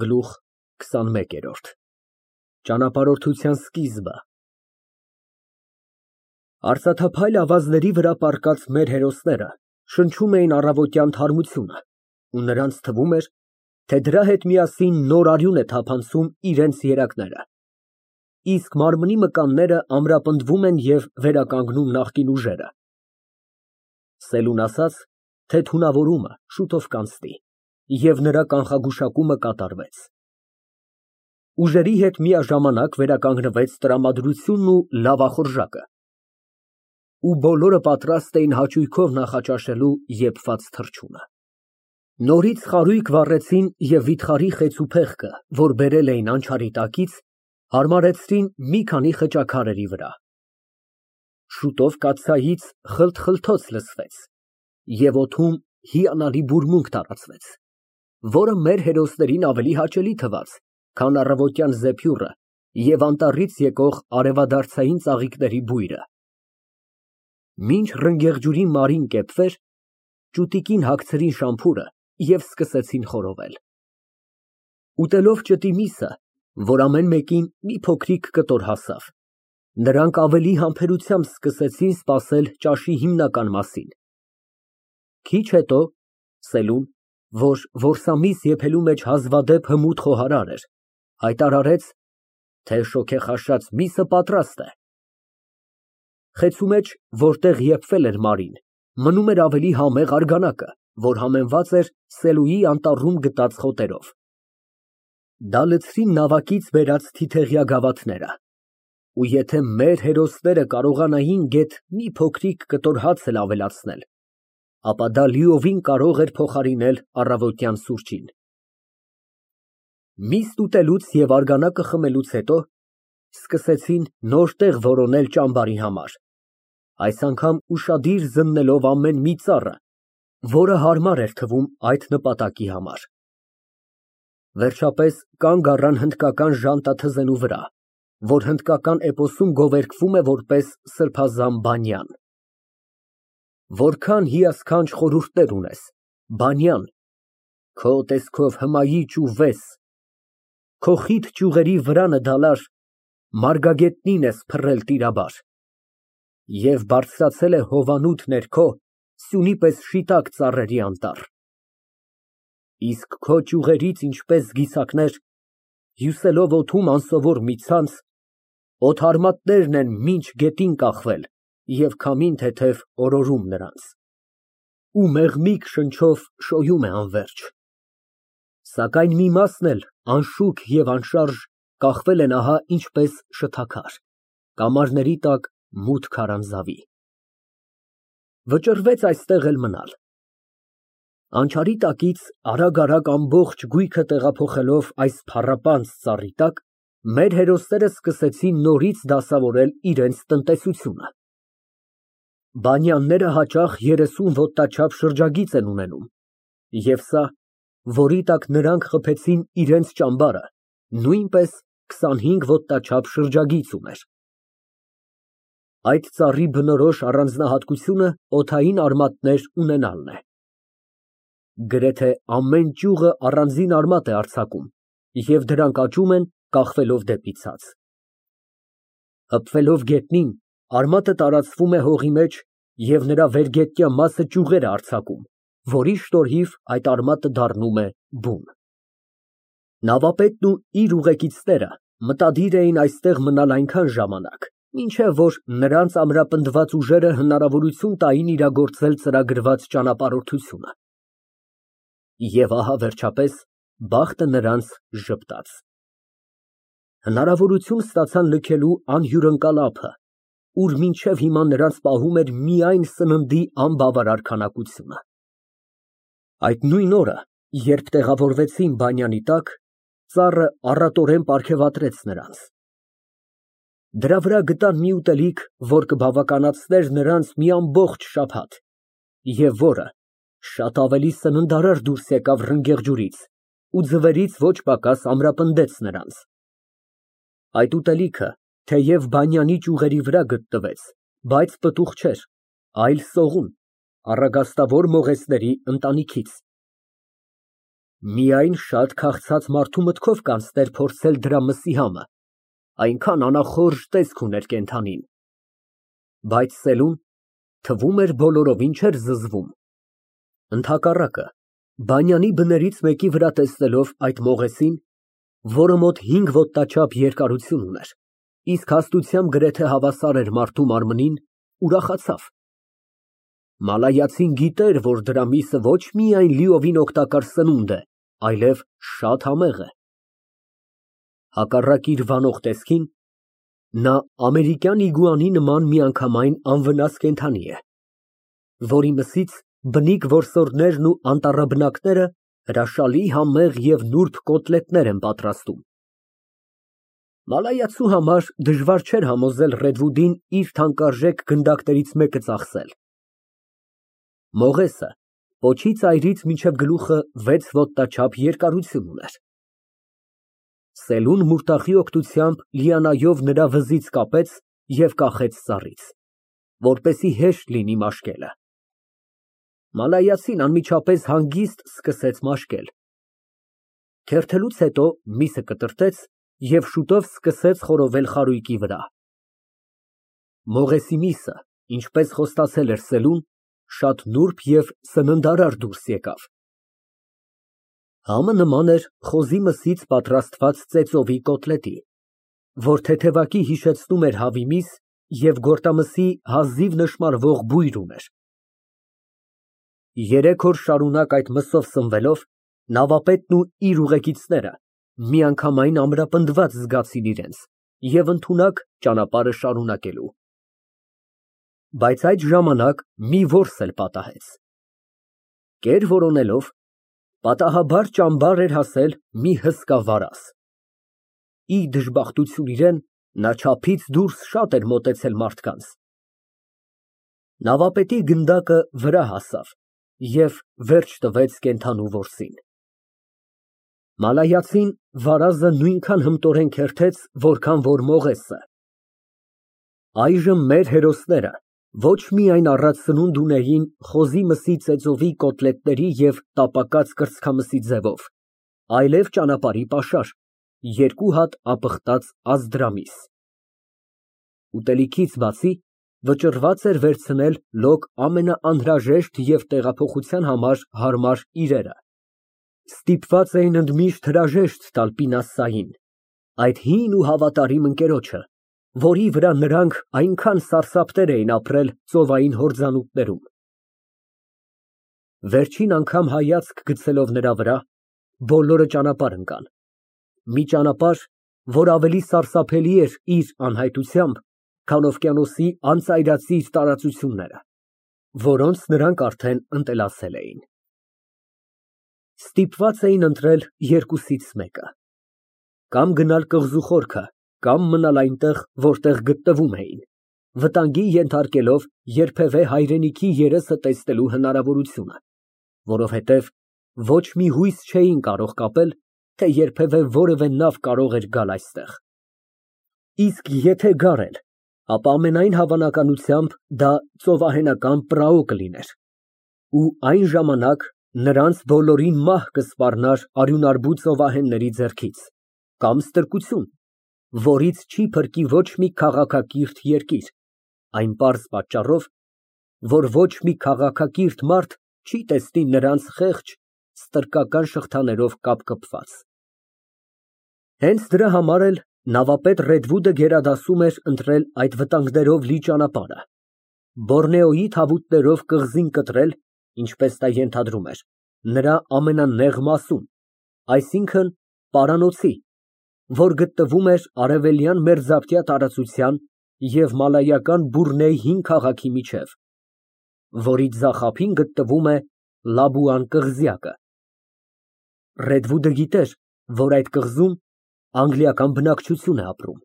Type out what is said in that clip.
Գլուխ քսանմեկերորդ Ճանապարհորդության սկիզբը Արծաթափայլ ավազների վրա պառկած մեր հերոսները շնչում էին առավոտյան թարմությունը, ու նրանց թվում էր, թե դրա հետ միասին նոր արյուն է թափանցում իրենց երակները, իսկ մարմնի մկանները ամրապնդվում են և վերականգնում նախկին ուժերը։ Սելուն ասաց, թե թունավորումը շուտով կանցնի, և նրա կանխագուշակումը կատարվեց։ Ուժերի հետ միաժամանակ վերականգնվեց տրամադրությունն ու լավախորժակը, ու բոլորը պատրաստ էին հաճույքով նախաճաշելու եփված թռչունը։ Նորից խարույկ վառեցին և վիթխարի խեցու փեղկը, որ բերել էին անչարի տակից, հարմարեցրին մի քանի խճաքարերի վրա։ Շուտով կաթսայից խլթխլթոց լսվեց, և օդում հիանալի բուրմունք տարածվեց, որը մեր հերոսներին ավելի հաճելի թվաց, քան առավոտյան զեփյուռը և անտառից եկող արևադարձային ծաղիկների բույրը։ Մինչ ռնգեղջյուրի մարին կեպվեր, ճուտիկին հագցրին շամփուրը և սկսեցին խորովել։ Ուտելով ճտի միսը, որ ամեն մեկին մի փոքրիկ կտոր հասավ, նրանք ավելի համբերությամբ սկսեցին սպասել ճաշի հիմնական մասին։ Քիչ հետո Սելուն, որ որսամիս եփելու մեջ հազվադեպ հմուտ խոհարար էր, հայտարարեց, թե շոգեխաշած միսը պատրաստ է։ Խեցու մեջ, որտեղ եփվել էր մարին, մնում էր ավելի համեղ արգանակը, որ համեմված էր Սելուի անտառում գտած խոտերով։ Դա լցրին նավակից բերած թիթեղյա գավաթները, ու եթե մեր հերոսները կարողանային գեթ մի փոքրիկ կտոր հաց էլ ավելացնել, ապա դա լիովին կարող էր փոխարինել առավոտյան սուրճին։ Միսն ուտելուց և արգանակը խմելուց հետո սկսեցին նոր տեղ որոնել ճամբարի համար, այս անգամ ուշադիր զննելով ամեն մի ծառը, որը հարմար էր թվում այդ նպատակի համար։ Վերջապես կանգ առան հնդկական ժանտաթզենու վրա, որ հնդկական էպոսում գովերգվում է որպես սրբազան բանյան։ Որքան հիասքանչ խորհուրդներ ունես, բանյան, քո տեսքով հմայիչ ու վես, քո խիտ ճյուղերի վրանը դալար, մարգագետնին ես փռել տիրաբար, և բարձրացել է հովանուտ ներքո սյունի պես շիտակ ծառերի անտառ։ Իսկ քո ճյուղերից ինչպես զգիցակներ, հյուսելով օդում անսովոր մի ցանց, օդարմատներն են մինչ գետին կախվել և քամին թեթև օրորում նրանց, ու մեղմիկ շնչով շոյում է անվերջ։ Սակայն մի մասն էլ անշուք և անշարժ կախվել են ահա ինչպես շթաքար, կամարների տակ մութ քարանձավի։ Վճռվեց այստեղ էլ մնալ։ Անչարի տակից արագ ամբողջ գույքը տեղափոխելով այս փառապանծ ծառի տակ, մեր հերոսները սկսեցին նորից դասավորել իրենց տնտեսությունը։ Բանյանները հաճախ 30 ոտնաչափ շրջագիծ են ունենում, և սա, որի տակ նրանք խփեցին իրենց ճամբարը, նույնպես 25 ոտնաչափ շրջագիծ ուներ։ Այդ ծառի բնորոշ առանձնահատկությունը օդային արմատներ ունենալն է։ Գրեթե ամեն ճյուղը առանձին արմատ է արձակում, և դրանք աճում են, կախվելով դեպի ցած։ Հպվելով գետնին, արմատը տարածվում է հողի մեջ և նրա վերգետնյա մասը ճյուղեր է արձակում, որի շնորհիվ այդ արմատը դառնում է բուն։ Նավապետն ու իր ուղեկիցները մտադիր էին այստեղ մնալ այնքան ժամանակ, մինչև որ նրանց ամրապնդված ուժերը հնարավորություն տային իրագործել ծրագրված ճանապարհորդությունը։ Եվ ահա վերջապես բախտը նրանց ժպտաց։ Հնարավորություն ստացան լքելու անհյուրընկալ ափը, ուր մինչև հիմա նրանց պահում էր միայն սննդի անբավարար քանակությունը։ Այդ նույն օրը, երբ տեղավորվեցին բանյանի տակ, ծառը առատորեն պարգևատրեց նրանց։ Դրա վրա գտան մի ուտելիք, որ կբավականացներ նրանց մի ամբողջ շաբաթ, և որը շատ ավելի սննդարար դուրս եկավ ռնգեղջյուրից ու ձվերից ոչ պակաս ամրապնդեց նրանց։ Այդ ուտելիքը, թեև բանյանի ճյուղերի վրա գտնվեց, բայց պտուղ չէր, այլ սողուն, առագաստավոր մողեսների ընտանիքից։ Միայն շատ քաղցած մարդու մտքով կանցներ փորձել դրա մսի համը, այնքան անախորժ տեսք ուներ կենդանին։ Բայց Սելուն թվում էր բոլորովին չէր զզվում։ Ընդհակառակը, բանյանի բներից մեկի վրա տեսնելով այդ մողեսին, որը մոտ 5 ոտնաչափ երկարություն ուներ, իսկ հաստությամբ գրեթե հավասար էր մարդու մարմնին, ուրախացավ։ Մալայացին գիտեր, որ դրա միսը ոչ միայն լիովին օգտակար սնունդ է, այլև շատ համեղ է։ Հակառակ իր վանող տեսքին, նա ամերիկյան իգուանի նման միանգամայն անվնաս կենդանի է, որի մսից բնիկ որսորդներն ու անտառաբնակները հրաշալի համեղ և նուրբ կոտլետներ են պատրաստում։ Մալայացու համար դժվար չէր համոզել Ռեդվուդին իր թանկարժեք գնդակներից մեկը ծախսել։ Մողեսը պոչի ծայրից մինչև գլուխը 6 ոտնաչափ երկարություն ուներ։ Սելուն մուրտախի օգնությամբ լիանայով նրա վզից կապեց և կախեց ծառից, որպեսզի հեշտ լինի մաշկելը։ Մալայացին անմիջապես հանգիստ սկսեց մաշկել։ Քերթելուց հետո միսը կտրտեց և շուտով սկսեց խորովել խարույկի վրա։ Մողեսի միսը, ինչպես խոստացել էր Սելուն, շատ նուրբ և սննդարար դուրս եկավ։ Համը նման էր խոզի մսից պատրաստված ծեծովի կոտլետի, որ թեթևակի հիշեցնում էր հավի միս և գորտամսի հազիվ նշմարվող բույր ուներ։ 3 օր շարունակ այդ մսով սնվելով, նավապետն ու իր ուղեկիցները միանգամայն ամրապնդված զգացին իրենց և ընդունակ ճանապարհը շարունակելու։ Բայց այդ ժամանակ մի որս էլ պատահեց։ Կեր որոնելով, պատահաբար ճամբար էր հասել մի հսկա վարազ։ Ի դժբախտություն իրեն, նա չափից դուրս շատ էր մոտեցել մարդկանց։ Նավապետի գնդակը վրա հասավ և վերջ տվեց կենդանու որսին։ Մալայացին վարազը նույնքան հմտորեն քերթեց, որքան որ Մողեսը։ Այժմ մեր հերոսները ոչ միայն առատ սնունդ ունեին խոզի մսի ծեծովի կոտլետների և տապակած կրծքամսի ձևով, այլև ճանապարհի պաշար, 2 հատ ապխտած ազդրամիս։ Ուտելիքից բացի վճռված էր վերցնել լոկ ամենաանհրաժեշտ և տեղափոխության համար հարմար իրերը։ Ստիպված էին ընդմիշտ հրաժեշտ տալ Պինասային, այդ հին ու հավատարիմ ընկերոջը, որի վրա նրանք այնքան սարսափներ էին ապրել ծովային հորձանուտներում։ Վերջին անգամ հայացք գցելով նրա վրա, բոլորը ճանապարհ ընկան, մի ճանապարհ, որ ավելի սարսափելի էր իր անհայտությամբ, քան օվկիանոսի անծայրածիր տարածությունները, որոնց նրանք արդեն ընտելացել էին։ Ստիպված էին ընտրել երկուսից մեկը. կամ գնալ կղզու խորքը, կամ մնալ այնտեղ, որտեղ գտնվում էին, վտանգի ենթարկելով երբևէ հայրենիքի երեսը տեսնելու հնարավորությունը, որովհետև ոչ մի հույս չէին կարող կապել, թե երբևէ որևէ նավ կարող էր գալ այստեղ։ Իսկ եթե գար էլ, ապա ամենայն հավանականությամբ դա ծովահենական պրաո կլիներ, ու այն ժամանակ նրանց բոլորին մահ կսպառնար արյունարբու ծովահենների ձեռքից, կամ ստրկություն, որից չի փրկի ոչ մի քաղաքակիրթ երկիր, այն պարզ պատճառով, որ ոչ մի քաղաքակիրթ մարդ չի տեսնի նրանց խեղճ, ստրկական շղթաներով կապկպված։ Հենց դրա համար էլ նավապետ Ռեդվուդը գերադասում էր ընտրել այդ վտանգներով լի ճանապարհը, Բորնեոյի թավուտներով կղզին կտրել, ինչպես նա ենթադրում էր, նրա ամենանեղ մասում, այսինքն պարանոցի, որ գտնվում էր արևելյան մերձապտյա տարածության և մալայական Բուրնեյ հին քաղաքի միջև, որի ձախ ափին գտնվում է Լաբուան կղզյակը։ Ռեդվուդը գիտեր, որ այդ կղզում անգլիական բնակչություն է ապրում։